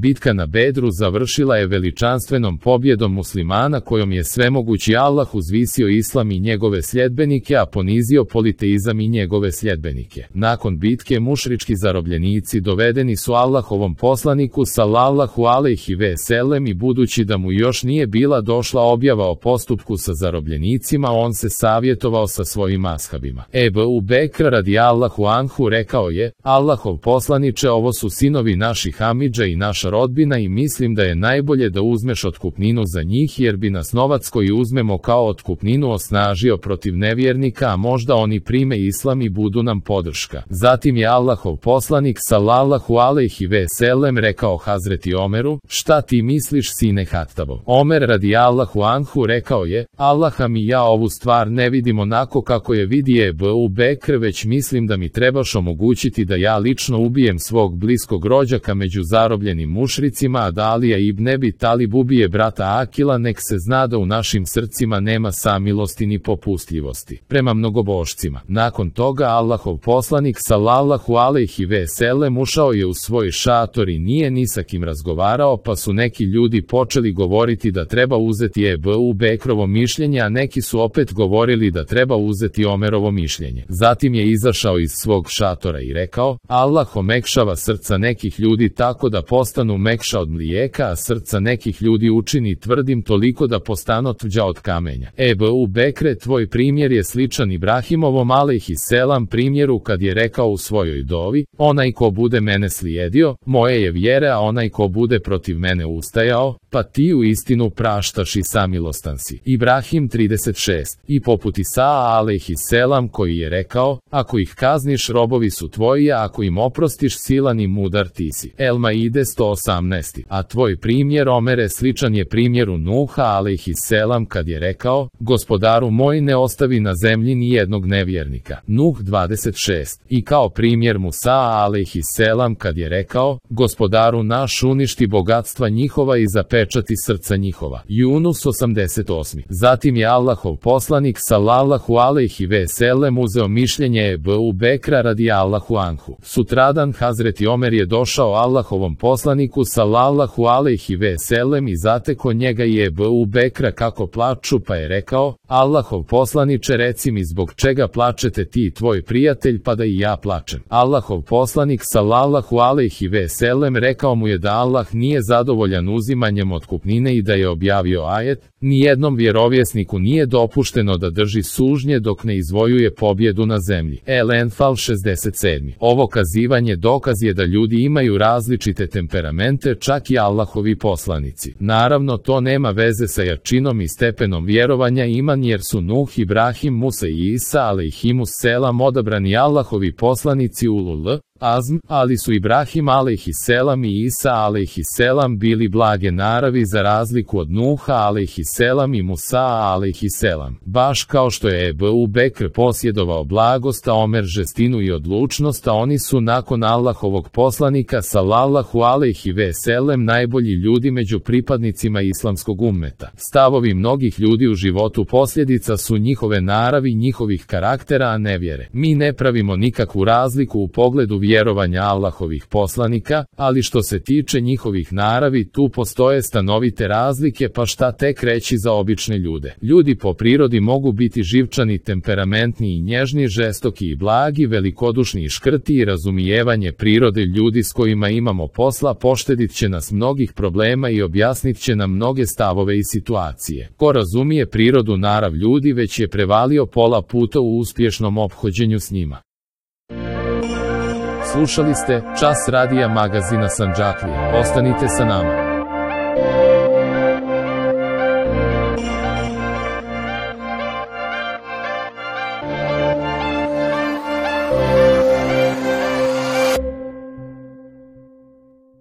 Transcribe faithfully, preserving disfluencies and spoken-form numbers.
Bitka na Bedru završila je veličanstvenom pobjedom muslimana kojom je svemogući Allah uzvisio islam i njegove sljedbenike, a ponizio politeizam i njegove sljedbenike. Nakon bitke mušrički zarobljenici dovedeni su Allahovom poslaniku sallallahu alejhi ve sellem i budući da mu još nije bila došla objava o postupku sa zarobljenicima, on se savjetovao sa svojim ashabima. Ebu Bekr radijallahu anhu rekao je: Allahov poslaniče, ovo su sinovi naših amidža i naša rodbina i mislim da je najbolje da uzmeš otkupninu za njih, jer bi nas novac koji uzmemo kao otkupninu osnažio protiv nevjernika, a možda oni prime islam i budu nam podrška. Zatim je Allahov poslanik sallallahu alejhi ve sellem rekao Hazreti Omeru: šta ti misliš, sine Hattabov? Omer radijallahu anhu rekao je: Allaha mi, ja ovu stvar ne vidim onako kako je vidi Ebu Bekr, već mislim da mi trebaš omogućiti da ja lično ubijem svog bliskog rođaka među zarobljenim mušricima, a da Alija ibn Ebi Talib ubije brata Akila, nek se zna da u našim srcima nema samilosti ni popustljivosti prema mnogobošcima. Nakon toga Allahov poslanik sallallahu alejhi ve sellem ušao je u svoj šator i nije ni sa kim razgovarao, pa su neki ljudi počeli govoriti da treba uzeti Ebu Bekrovo mišljenje, a neki su opet govorili da treba uzeti Omerovo mišljenje. Zatim je izašao iz svog šatora i rekao: Allah omekšava srca nekih ljudi tako da postanu mekša od mlijeka, a srca nekih ljudi učini tvrdim toliko da postanu tvrđa od kamenja. Ebu Bekre, tvoj primjer je sličan Ibrahimovom alejhi selam primjeru kad je rekao u svojoj dovi: onaj ko bude mene slijedio, moje je vjere, a onaj ko bude protiv mene ustajao, pa ti u istinu praštaš i samilostan si. Ibrahim trideset šest. I poput Isaa alejhi selam koji je rekao: ako ih kazniš, robovi su tvoji, a ako im oprostiš, silan i mudar ti si. El Maide sto osamnaest. A tvoj primjer, Omere, sličan je primjeru Nuha alejhi selam kad je rekao: gospodaru moj, ne ostavi na zemlji ni jednog nevjernika. Nuh dvadeset šest. I kao primjer Musa alejhi selam kad je rekao: gospodaru naš, uništi bogatstva njihova i zapečati srca njihova. Yunus osamdeset osam. Zatim je Allahov poslanik sallallahu alejhi ve sellem uzeo mišljenje Ebu Bekra radijallahu anhu. Sutradan Hazreti Omer je došao Allahovom poslaniku sallallahu alejhi ve sellem i zateko njega i Ebu Bekra kako plaču, pa je rekao: Allahov poslaniče, reci mi zbog čega plačete ti i tvoj prijatelj, pa da i ja plačem. Allahov poslanik sallallahu alejhi ve sellem rekao mu je da Allah nije zadovoljan uzimanjem otkupnine i da je objavio ajet: nijednom vjerovjesniku nije dopušteno da drži sužnje dok ne izvojuje pobjedu na zemlji. El Enfal šezdeset sedam. Ovo kazivanje dokaz je da ljudi imaju različite temperamente, čak i Allahovi poslanici. Naravno, to nema veze sa jačinom i stepenom vjerovanja iman, jer su Nuh, Ibrahim, Musa i Isa alejhimus selam odabrani Allahovi poslanici ulul azm, ali su Ibrahim alejhi selam i Isa alejhi selam bili blage naravi za razliku od Nuha alejhi selam i Musa alejhi selam. Baš kao što je Ebu Bekr posjedovao blagost, a Omer žestinu i odlučnost, a oni su nakon Allahovog poslanika sallallahu alejhi ve sellem najbolji ljudi među pripadnicima islamskog ummeta. Stavovi mnogih ljudi u životu posljedica su njihove naravi, njihovih karaktera, a ne vjere. Mi ne pravimo nikakvu razliku u pogledu vjerovanja Allahovih poslanika, ali što se tiče njihovih naravi, tu postoje stanovite razlike, pa šta tek reći za obične ljude. Ljudi po prirodi mogu biti živčani, temperamentni i nježni, žestoki i blagi, velikodušni i škrti, i razumijevanje prirode ljudi s kojima imamo posla poštedit će nas mnogih problema i objasnit će nam mnoge stavove i situacije. Ko razumije prirodu narav ljudi, već je prevalio pola puta u uspješnom ophođenju s njima. Slušali ste Čas radija magazina Sandžaklija. Ostanite sa nama.